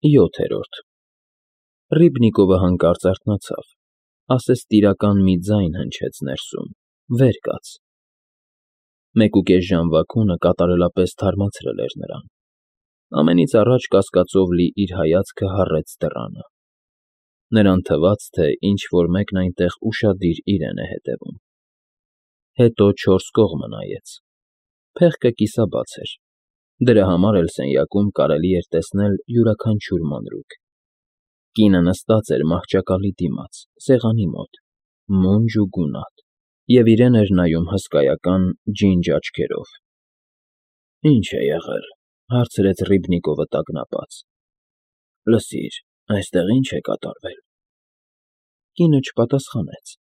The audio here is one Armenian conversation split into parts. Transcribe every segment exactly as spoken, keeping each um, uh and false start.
ՅՈԹԵՐՈՐԴ Ռիբնիկովը հանկարծ արթնացավ, ասես տիրական մի ձայն հնչեց ներսում. «Վեր կաց»։ Մեկուկես ժամվա քունը կատարելապես թարմացրել էր նրան, ամենից առաջ կասկածով լի իր հայացքը հառեց դռանը. նրան թվաց, թե ինչ֊որ մեկն այնտեղ ուշադիր իրեն է հետևում։ Հետո չորս կողմը նայեց. փեղկը կիսաբաց էր, դրա համար էլ սենյակում կարելի էր տեսնել յուրաքանչյուր մանրուք։ Կինը նստած էր մահճակալի դիմաց, սեղանի մոտ, մունջ ու գունատ, և իրեն էր նայում հսկայական ջինջ աչքերով։ «Ի՞նչ է եղել,֊ հարցրեց Ռիբնիկովը տագնապած։֊ Լսիր, այստեղ ի՞նչ է կատարվել»։ Կինը չպատասխանեց,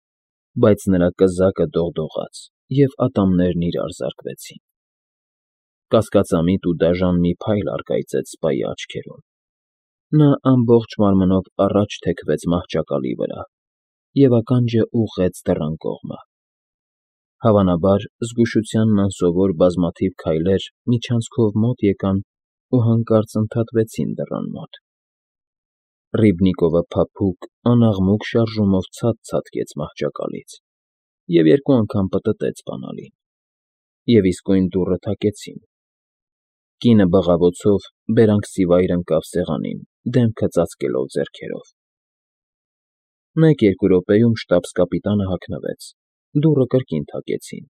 բայց նրա կզակը դողդողաց, և ատամներն իրար զարկվեցին։ Կասկածամիտ ու դաժան մի փայլ առկայծեց սպայի աչքերում։ Նա ամբողջ մարմնով առաջ թեքվեց մահճակալի վրա և ականջը ուղղեց դռան կողմը։ Հավանաբար, զգուշությանն անսովոր բազմաթիվ քայլեր միջանցքով մոտ եկան ու հանկարծ ընդհատվեցին դռան մոտ։ Ռիբնիկովը փափուկ, անաղմուկ շարժումով ցած֊ցատկեց մահճակալից և երկու անգամ պտտեց բանալին, և իսկույն դուռը թակեցին։ Կինը բղավոցով բերանքսիվայր ընկավ սեղանին, դեմքը ծածկելով ձեռքերով։ Մեկ֊երկու րոպեում շտաբս֊կապիտանը հագնվեց, դուռը կրկին թակեցին։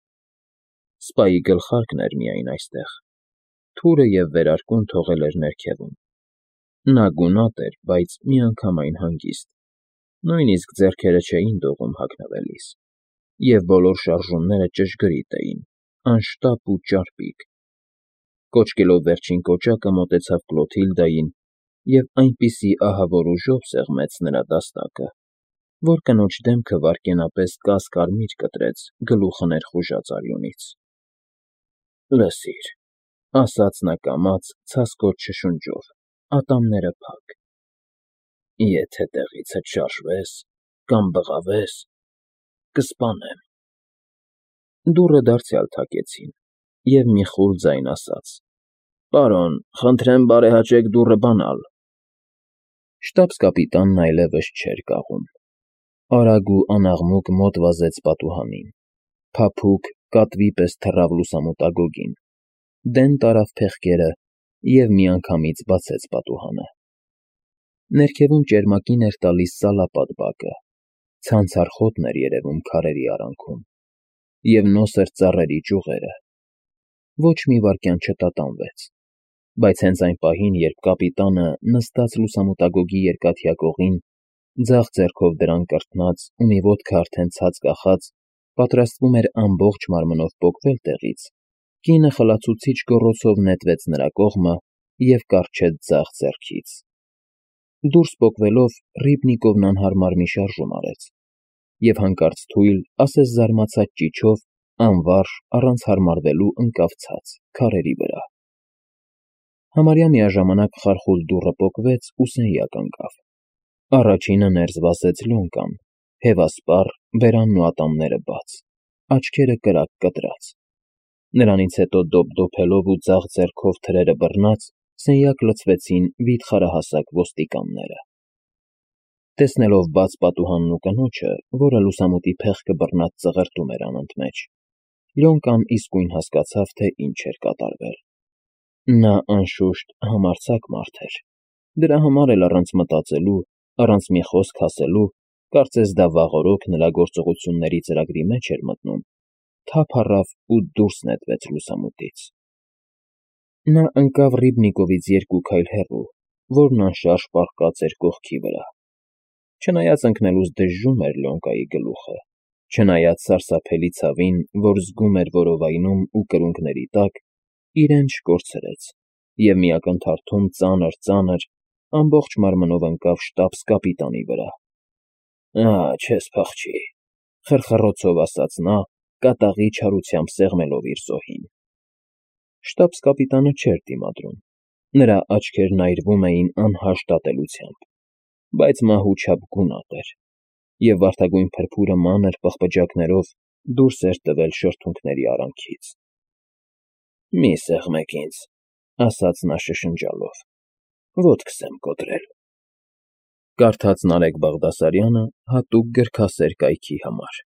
Սպայի գլխարկն էր միայն այստեղ, թուրը և վերարկուն թողել էր ներքևում։ Նա գունատ էր, բայց միանգամայն հանգիստ, նույնիսկ ձեռքերը չէին դողում հագնվելիս, և բոլոր շարժումները ճշգրիտ էին, անշտապ ու ճարպիկ։ Կոչկելով վերջին կոճակը, մոտեցավ Կլոթիլդային և այնպիսի ահավոր ուժով սեղմեց նրա դաստակը, որ կնոջ դեմքը վայրկենապես կաս֊կարմիր կտրեց գլուխը ներխուժած արյունից։ ֊ Լսիր,֊ ասաց նա կամաց, ցասկոտ շշունջով, ատամները փակ,֊ եթե տեղիցդ շարժվես կամ բղավես, կսպանեմ… Դուռը դարձյալ թակեցին, և մի խուլ ձայն ասաց. «Պարոն, խնդրեմ բարեհաճեք դուռը բանալ»։ Շտաբս֊կապիտանն այլևս չէր կաղում։ Արագ ու անաղմուկ մոտ վազեց պատուհանին, փափուկ, կատվի պես թռավ լուսամուտագոգին, դեն տարավ փեղկերը և միանգամից բացեց պատուհանը։ Ներքևում ճերմակին էր տալիս սալապատ բակը, ցանցառ խոտն էր երևում քարերի արանքում, և նոսր ծառերի ճյուղերը։ Ոչ մի վայրկյան չտատանվեց, բայց հենց այն պահին, երբ կապիտանը, նստած լուսամուտագոգի երկաթյա կողին, ձախ ձեռքով դրան կրթնած ու մի ոտքը արդեն ցած կախած, պատրաստվում էր ամբողջ մարմնով պոկվել տեղից, կինը խլացուցիչ գոռոցով նետվեց նրա կողմը և կառչեց ձախ ձեռքից։ Դուրս պոկվելով՝ Ռիբնիկովն անհարմար մի շարժում արեց և հանկարծ թույլ, ասես զարմացած ճիչով, անվարժ, առանց հարմարվելու ընկավ ցած, քարերի վրա։ Համարյա միաժամանակ խարխուլ դուռը պոկվեց ու սենյակ ընկավ։ Առաջինը ներս վազեց Լյոնկան, հևասպառ, բերանն ու ատամները բաց, աչքերը կրակ կտրած։ Նրանից հետո դոփ֊դոփելով ու ձախ ձեռքով թրերը բռնած, սենյակ լցվեցին վիթխարահասակ ոստիկանները։ Տեսնելով բաց պատուհանն ու կնոջը, որը լուսամուտի փեղկը բռնած ծղրտում էր անընդմեջ, Լյոնկան իսկույն հասկացավ, թե ինչ էր կատարվել։ Նա, անշուշտ, համարձակ մարդ էր, դրա համար էլ առանց մտածելու, առանց մի խոսք ասելու, կարծես դա վաղօրոք նրա գործողությունների ծրագրի մեջ էր մտնում, թափ առավ ու դուրս նետվեց լուսամուտից։ Նա ընկավ Ռիբնիկովից երկու քայլ հեռու, որն անշարժ պառկած էր կողքի վրա։ Չնայած ընկնելուց դժժում էր Լյոնկայի գլուխը, չնայած սարսափելի ցավին, որ զգում էր որովայնում ու կրունկների տակ, իրեն չկորցրեց և մի ակնթարթում ծանր֊ծանր, ամբողջ մարմնով ընկավ շտաբս֊կապիտանի վրա։ «Ահա, չես փախչի,֊ խռխռոցով ասաց նա, կատաղի չարությամբ սեղմելով իր զոհին։ Շտաբս֊կապիտանը չէր դիմադրում, նրա աչքերն այրվում էին անհաշտ ատելությամբ, բայց մահու չափ գունատ էր, և վարդագույն փրփուրը մանր պղպջակներով դուրս էր տվել շրթունքների արանքից։ ֊ Մի սեղմեք ինձ,֊ ասաց նա շշնջալով։ ոտքս եմ կոտրել։ Կարդաց Նարեկ Բաղդասարյանը հատուկ գրքասեր կայքի համար։